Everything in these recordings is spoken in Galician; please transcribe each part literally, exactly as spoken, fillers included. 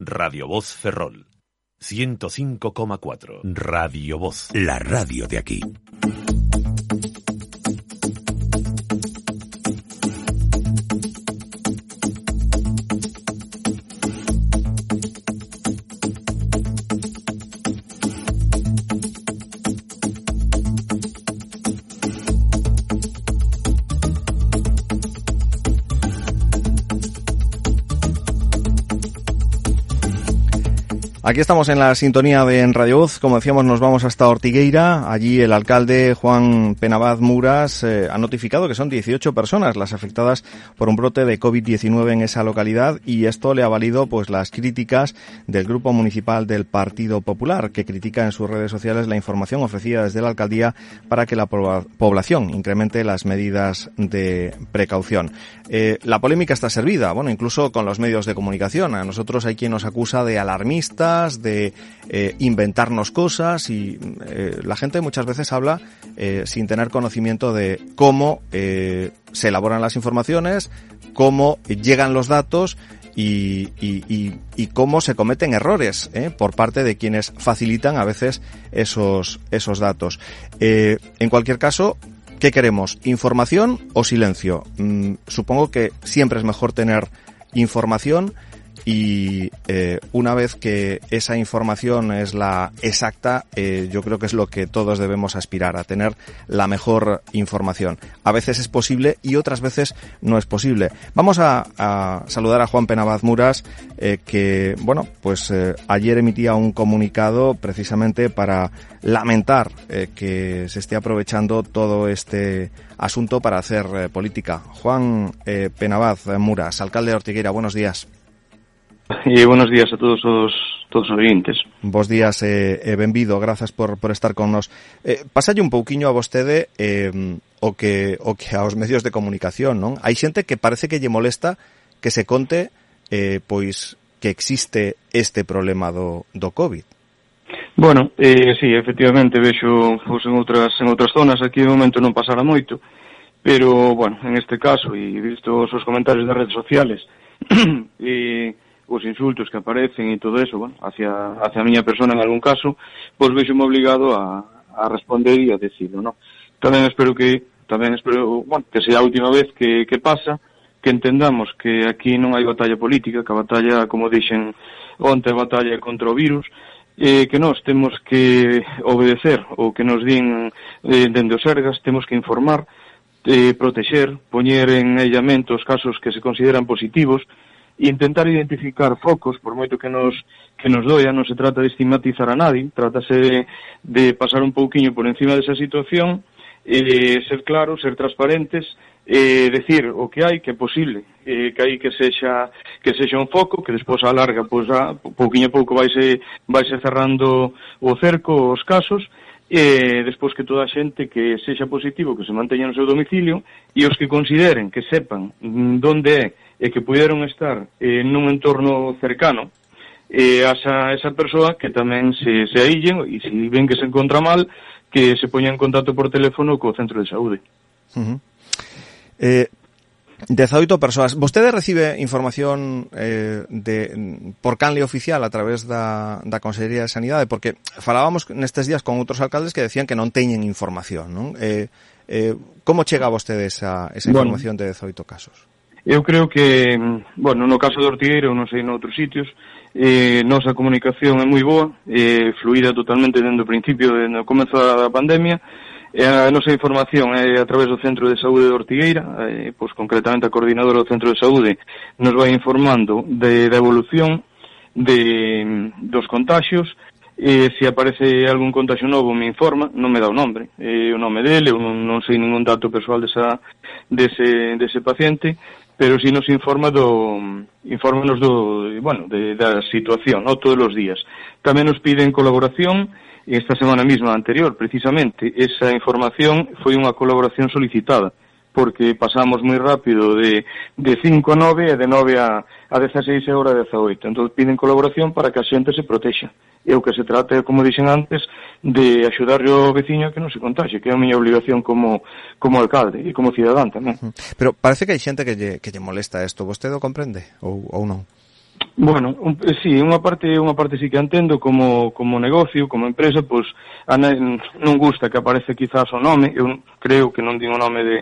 Radio Voz Ferrol. ciento cinco coma cuatro. Radio Voz. La radio de aquí. Aquí estamos en la sintonía de en Radio Voz. Como decíamos, nos vamos hasta Ortigueira. Allí el alcalde Juan Penabaz Muras eh, ha notificado que son dieciocho personas las afectadas por un brote de COVID diecinueve en esa localidad, y esto le ha valido pues las críticas del Grupo Municipal del Partido Popular, que critica en sus redes sociales la información ofrecida desde la alcaldía para que la población incremente las medidas de precaución. Eh, la polémica está servida, bueno, incluso con los medios de comunicación. A nosotros hay quien nos acusa de alarmistas, de eh, inventarnos cosas, y eh, la gente muchas veces habla eh, sin tener conocimiento de cómo eh, se elaboran las informaciones, cómo llegan los datos y, y, y, y cómo se cometen errores eh, por parte de quienes facilitan a veces esos, esos datos. Eh, en cualquier caso, ¿qué queremos? ¿Información o silencio? Mm, supongo que siempre es mejor tener información, y eh, una vez que esa información es la exacta, eh, yo creo que es lo que todos debemos aspirar, a tener la mejor información. A veces es posible y otras veces no es posible. Vamos a, a saludar a Juan Penabaz Muras, eh, que, bueno, pues eh, ayer emitía un comunicado precisamente para lamentar eh, que se esté aprovechando todo este asunto para hacer eh, política. Juan eh, Penabaz Muras, alcalde de Ortigueira, buenos días. E buenos días a todos os todos os oyentes. Bos días e eh, eh, benvido, grazas por por estar con nos. Eh, pasalle un pouquiño a vostede eh, o que o que aos medios de comunicación, non? Hai xente que parece que lle molesta que se conte eh, pois que existe este problema do do COVID. Bueno, eh, sí, efectivamente, vexo pois, en outras en outras zonas, aquí de momento non pasará moito, pero, bueno, en este caso, e visto os comentarios das redes sociales, e os insultos que aparecen e todo eso, bueno, hacia hacia a miña persona en algún caso, pois vexo-me obligado a, a responder e a decirlo, ¿no? Tamén espero que, tamén espero, bueno, que sea a última vez que, que pasa, que entendamos que aquí non hai batalla política, que a batalla, como dixen onte, a batalla contra o virus, eh, que nós temos que obedecer o que nos din eh, dende os Sergas, temos que informar, eh, protexer, poñer en aillamento os casos que se consideran positivos, e intentar identificar focos, por moito que nos que nos doia. Non se trata de estigmatizar a nadie, trátase de, de pasar un pouquiño por encima desa situación, eh, ser claros, ser transparentes, eh, decir o que hai, que é posible, eh, que hai que sexa que sexa un foco, que despois a larga, pois a pouquiño a pouco vaise vaise cerrando o cerco, os casos, e despois que toda a xente que sexa positivo, que se manteña no seu domicilio, e os que consideren, que sepan donde é e que puderon estar eh, nun entorno cercano eh, a esa, esa persoa, que tamén se, se aíllen, e se ven que se encontra mal, que se poñan en contacto por teléfono co centro de saúde. Uh-huh. Eh, dezaoito persoas. Vostede recibe información eh, de por canle oficial a través da, da Consellería de Sanidade? Porque falábamos nestes días con outros alcaldes que decían que non teñen información, non? Eh, eh, como chega a vostede esa, esa información bueno, de dezaoito casos? Eu creo que, bueno, no caso de Ortigueira, ou non sei, noutros sitios, eh, nosa comunicación é moi boa, eh, fluida totalmente dende o principio, dende o comezo da pandemia. E a nosa información é a través do Centro de Saúde de Ortigueira, eh, pois concretamente a coordinadora do Centro de Saúde nos vai informando de, da evolución de, dos contagios. E se aparece algún contagio novo me informa, non me dá o nombre, eh, o nome dele, eu non, non sei ningún dato persoal desa, dese, dese paciente, pero si nos informa do infórmanos do, bueno, de, da situación, no, todos os días. Tamén nos piden colaboración. Esta semana mesma anterior, precisamente, esa información foi unha colaboración solicitada, porque pasamos moi rápido de, de cinco a nove e de nove a, a dieciséis e hora a dezaoito. Entón piden colaboración para que a xente se protexa. E o que se trata, como dixen antes, de axudar o veciño a que non se contaxe, que é a miña obligación como, como alcalde e como cidadán tamén. Pero parece que hai xente que lle, que lle molesta isto. Vostede o comprende ou, ou non? Bueno, un, sí, unha parte unha parte sí que entendo como como negocio, como empresa, pois a non gusta que aparece quizás o nome, eu creo que non digo o nome de,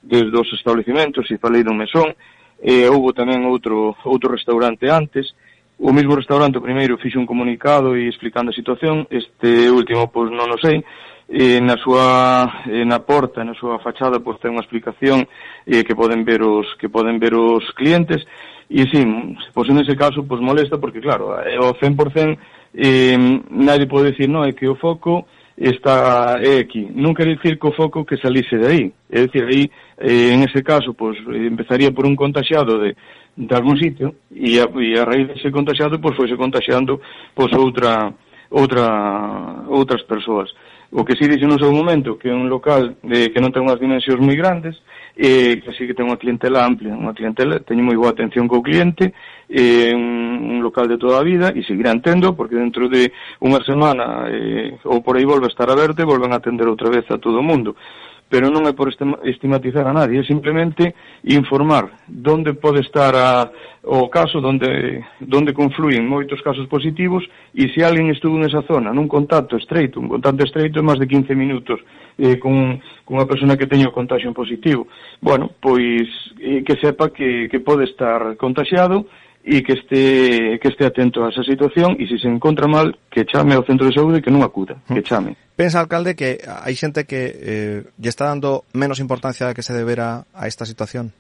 de dos establecimentos, e falei dun mesón, e houve tamén outro outro restaurante antes, o mesmo restaurante o primeiro fixe un comunicado e explicando a situación, este último pois non o sei, e na súa e na porta, na súa fachada pois ten unha explicación e que poden ver os que poden ver os clientes. E sí, pois en ese caso pois molesta porque claro, o cen por cen eh, nadie pode decir, non, é que o foco está é aquí. Non quere dicir que o foco que salise de aí. É dicir, aí eh, en ese caso pois empezaría por un contaxiado de de algún sitio e a, e a raíz dese contaxiado pois foise contaxiando pois outra outra outras persoas. O que si dixe no seu momento que é un local de, que non ten unhas dimensións moi grandes, e que así que ten unha clientela amplia, unha clientela, teño moi boa atención co cliente, é un, un local de toda a vida e seguirá tendo, porque dentro de unha semana eh, ou por aí volve a estar aberto e volven a atender outra vez a todo o mundo. Pero non é por estigmatizar a nadie, é simplemente informar donde pode estar a, o caso, donde, donde confluyen moitos casos positivos, e se alguén estuvo nesa zona nun contacto estreito, un contacto estreito é máis de quince minutos eh, con, con unha persona que teña o contagio positivo, bueno, pois eh, que sepa que, que pode estar contagiado e que este que este atento a esa situación, e se se encontra mal, que chame ao centro de saúde, que non acuda, que chame. Pensa, alcalde, que hai xente que eh, lle está dando menos importancia a que se debera a esta situación?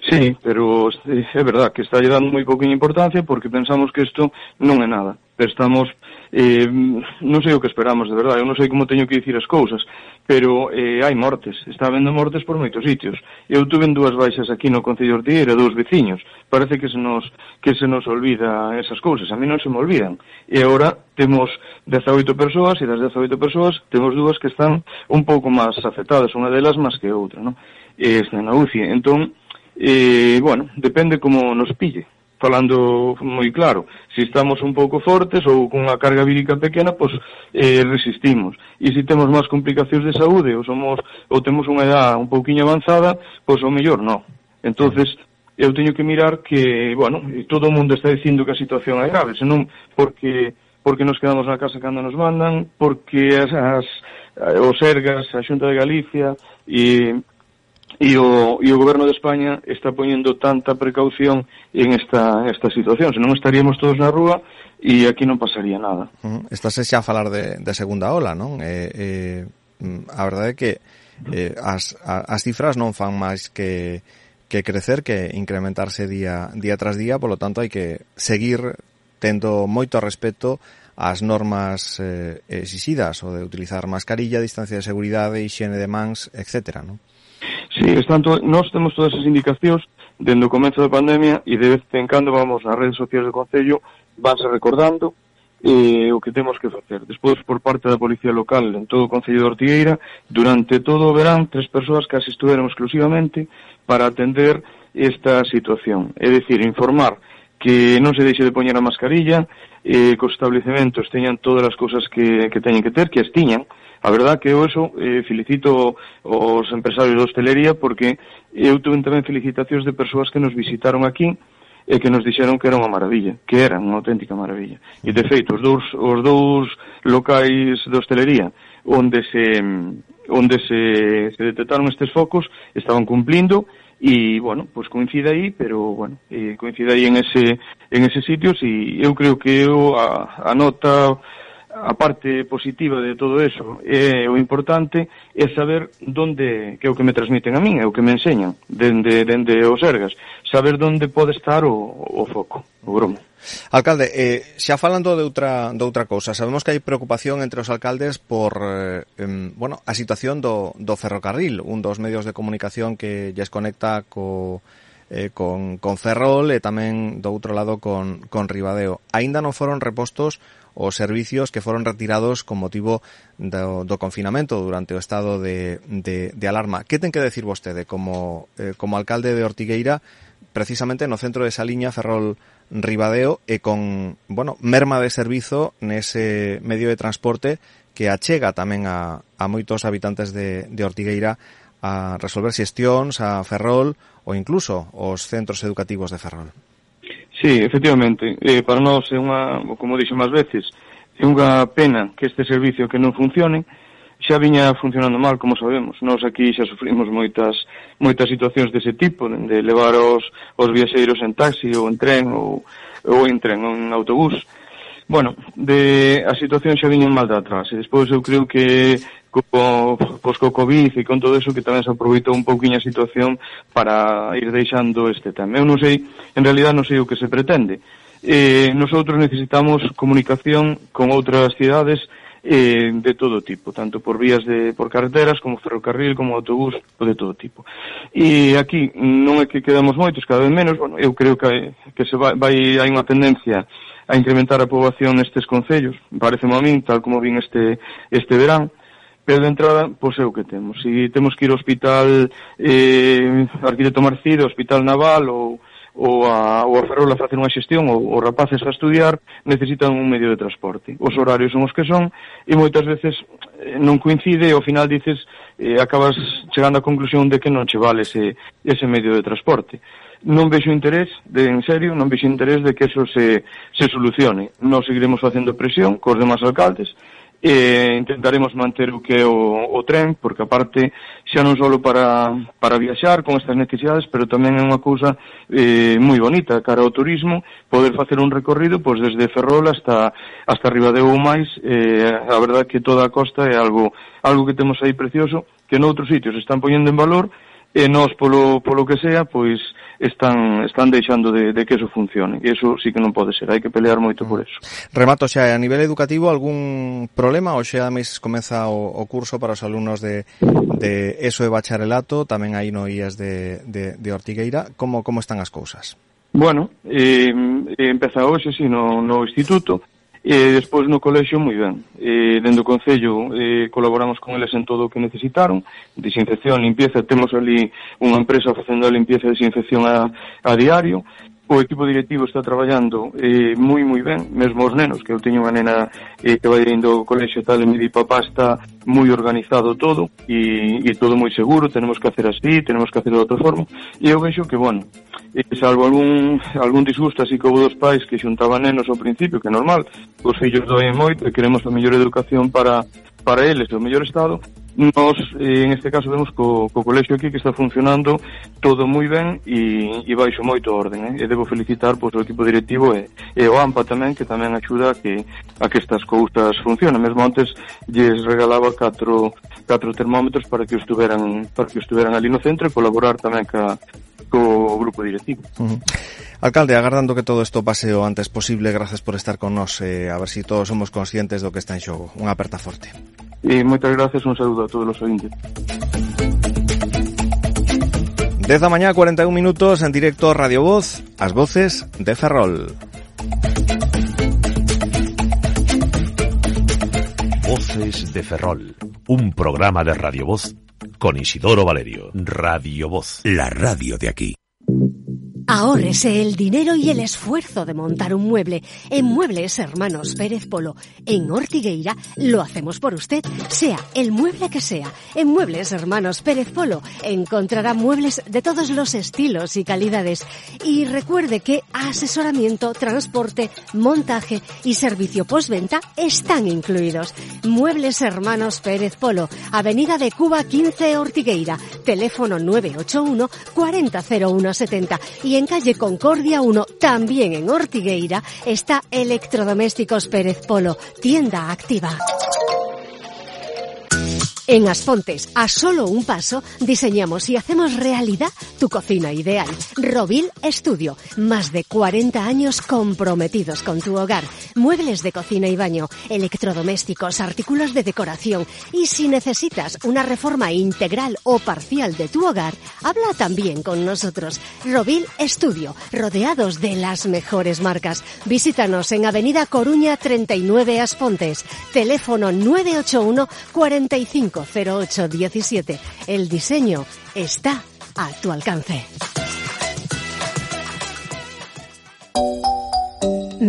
Sí, pero é verdad que está lle dando moi pouquinha importancia porque pensamos que isto non é nada. Pero estamos, eh, non sei o que esperamos, de verdade, eu non sei como teño que dicir as cousas, pero eh, hai mortes, está habendo mortes por moitos sitios. Eu tuve dúas baixas aquí no Concello de Ortigueira, dous veciños, parece que se nos que se nos olvida esas cousas, a mí non se me olvidan. E agora temos dezaoito persoas, e das dezaoito persoas temos dúas que están un pouco máis afectadas, unha delas máis que outra, non? E está na U C I, entón, eh, bueno, depende como nos pille. Falando moi claro, se estamos un pouco fortes ou con unha carga vírica pequena, pois eh, resistimos. E se temos máis complicacións de saúde ou somos ou temos unha edad un pouquiño avanzada, pois o mellor non. Entonces, eu teño que mirar que, bueno, todo o mundo está dicindo que a situación é grave, senón porque porque nos quedamos na casa cando nos mandan, porque as, as os Sergas, a Xunta de Galicia e E o, e o Goberno de España está poñendo tanta precaución en esta, esta situación, senón estaríamos todos na rúa e aquí non pasaría nada. Uh-huh. Estás xa a falar de, de segunda ola, non? Eh, eh, a verdade é que eh, as, as cifras non fan máis que, que crecer, que incrementarse día, día tras día, polo tanto hai que seguir tendo moito respeto ás normas eh, exixidas, o de utilizar mascarilla, distancia de seguridade, higiene de mans, etcétera, non? Sí, tanto, nós temos todas as indicacións dende o comezo da pandemia e de vez en cando vamos nas redes sociais do Concello, vanse recordando eh, o que temos que facer. Despois, por parte da Policía Local en todo o Concello de Ortigueira, durante todo o verán, tres persoas case estuveron exclusivamente para atender esta situación. É dicir, informar que non se deixe de poñer a mascarilla, eh, que os establecementos teñan todas as cousas que, que teñen que ter, que as tiñan. A verdad que eu eso eh, felicito os empresarios de hostelería porque eu tuve tamén felicitacións de persoas que nos visitaron aquí e que nos dixeron que era unha maravilla, que era unha auténtica maravilla. E de feito, os dous, os dous locais de hostelería onde se onde se, se detectaron estes focos estaban cumplindo e, bueno, pues coincide aí, pero, bueno, eh, coincide aí en ese en ese sitios e eu creo que eu a, a nota a parte positiva de todo eso é o importante é saber donde, que é o que me transmiten a min, é o que me enseñan dende, dende os Sergas, saber donde pode estar o, o foco, o gromo. Alcalde, eh, xa falando de outra, de outra cousa, sabemos que hai preocupación entre os alcaldes por eh, eh, bueno, a situación do, do ferrocarril, un dos medios de comunicación que lles conecta co Eh, con, con Ferrol e tamén do outro lado con, con Ribadeo. Aínda non foron repostos os servicios que foron retirados con motivo do, do confinamento durante o estado de, de, de alarma. Que ten que decir vostede como, eh, como alcalde de Ortigueira precisamente no centro de esa liña Ferrol Ribadeo e con, bueno, merma de servizo nese medio de transporte que achega tamén a, a moitos habitantes de, de Ortigueira a resolver xestións a Ferrol ou incluso os centros educativos de Ferrol? Sí, efectivamente. Eh, para nós é unha, como dixo máis veces, é unha pena que este servicio que non funcione. Xa viña funcionando mal, como sabemos. Nós aquí xa sufrimos moitas moitas situacións dese tipo, de levar os, os viaxeiros en taxi ou en tren ou, ou en tren ou en autobús. Bueno, de, a situación xa viña mal de atrás. E despois eu creo que co, pois co COVID e con todo eso que tamén se aproveitou un pouquiño a situación para ir deixando este tema. Eu non sei, en realidad non sei o que se pretende. Eh, nosotros necesitamos comunicación con outras cidades eh, de todo tipo, tanto por vías de por carreteras, como ferrocarril, como autobús, de todo tipo. E aquí non é que quedamos moitos, cada vez menos, bueno, eu creo que, que se vai, vai hai unha tendencia a incrementar a poboación nestes concellos, pareceme a min, tal como vin este este verán, pero de entrada, pois é o que temos. Se temos que ir ao hospital eh, Arquitecto Marcido, Hospital Naval ou ou a, ou a Ferrol a facer unha xestión, ou os rapaces a estudiar, necesitan un medio de transporte. Os horarios son os que son, e moitas veces eh, non coincide, e ao final dices, eh, acabas chegando á conclusión de que non che vale ese, ese medio de transporte. Non vexo interés, de, en serio, non vexo interés de que eso se, se solucione. Nós seguiremos facendo presión cos demás alcaldes, e intentaremos manter o que é o, o tren, porque aparte xa non só para, para viaxar con estas necesidades, pero tamén é unha cousa eh, moi bonita cara ao turismo, poder facer un recorrido pois desde Ferrol hasta hasta Ribadeo ou máis. Eh, a verdade que toda a costa é algo algo que temos aí precioso, que noutros sitios están poñendo en valor, e nós polo, polo que sea, pois están están deixando de, de que eso funcione, e eso sí que non pode ser, hai que pelear moito por eso. Remato xa, a nivel educativo, algún problema? O xa mes comeza o, o curso para os alumnos de, de ESO e bacharelato, tamén aí no I A S de, de, de Ortigueira, como, como están as cousas? Bueno, eh, empeza hoxe, sí, no, no instituto, e despois no colexio moi ben. E dentro do Concello eh, colaboramos con eles en todo o que necesitaron, desinfección, limpieza, temos ali unha empresa facendo a limpieza e desinfección a, a diario. O equipo directivo está traballando eh, moi moi ben, mesmo os nenos, que eu teño unha nena eh, que vai indo ao colexio tal, e me di, papá, está moi organizado todo e, e todo moi seguro, tenemos que hacer así, tenemos que hacer de outra forma, e eu vexo que, bueno, eh, salvo algún algún disgusto así como dos pais que xuntaban nenos ao principio, que é normal, os fillos doen moito e queremos a mellor educación para para eles, o mellor estado. Nos, eh, en este caso, vemos co, co colexio aquí que está funcionando todo moi ben e, e baixo moito orden, eh? E debo felicitar pois, o equipo directivo e, e o AMPA tamén, que tamén axuda a que, a que estas cousas funcionen. Mesmo antes lles regalaba catro, catro termómetros para que estuveran para que estuveran ali no centro e colaborar tamén ca, co grupo directivo. Uh-huh. Alcalde, agardando que todo isto pase o antes posible, gracias por estar con nós, eh, a ver si todos somos conscientes do que está en xogo. Unha aperta forte. E moitas gracias, un saludo a todos os ointes. dez da mañá, cuarenta e un minutos, en directo Radio Voz, as voces de Ferrol. Voces de Ferrol, un programa de Radio Voz con Isidoro Valerio. Radio Voz, la radio de aquí. Ahórrese el dinero y el esfuerzo de montar un mueble. En Muebles Hermanos Pérez Polo, en Ortigueira, lo hacemos por usted, sea el mueble que sea. En Muebles Hermanos Pérez Polo encontrará muebles de todos los estilos y calidades. Y recuerde que asesoramiento, transporte, montaje y servicio postventa están incluidos. Muebles Hermanos Pérez Polo, Avenida de Cuba quince, Ortigueira, teléfono nueve ocho uno, cuarenta cero uno setenta, y en calle Concordia uno, también en Ortigueira, está Electrodomésticos Pérez Polo, tienda activa. En Aspontes, a solo un paso, diseñamos y hacemos realidad tu cocina ideal. Rovil Estudio, más de cuarenta años comprometidos con tu hogar. Muebles de cocina y baño, electrodomésticos, artículos de decoración. Y si necesitas una reforma integral o parcial de tu hogar, habla también con nosotros. Rovil Estudio, rodeados de las mejores marcas. Visítanos en Avenida Coruña treinta y nueve, Aspontes. Teléfono nueve ocho uno, cuarenta y cinco cero ocho diecisiete. El diseño está a tu alcance.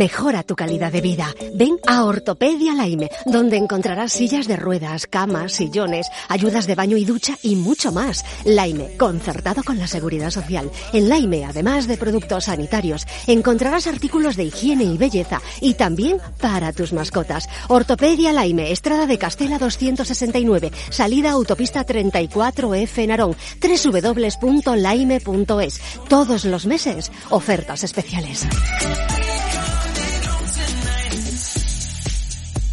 Mejora tu calidad de vida. Ven a Ortopedia Laime, donde encontrarás sillas de ruedas, camas, sillones, ayudas de baño y ducha y mucho más. Laime, concertado con la Seguridad Social. En Laime, además de productos sanitarios, encontrarás artículos de higiene y belleza y también para tus mascotas. Ortopedia Laime, Estrada de Castela doscientos sesenta y nueve, salida autopista treinta y cuatro F Narón, doble u doble u doble u punto laime punto es. Todos los meses, ofertas especiales.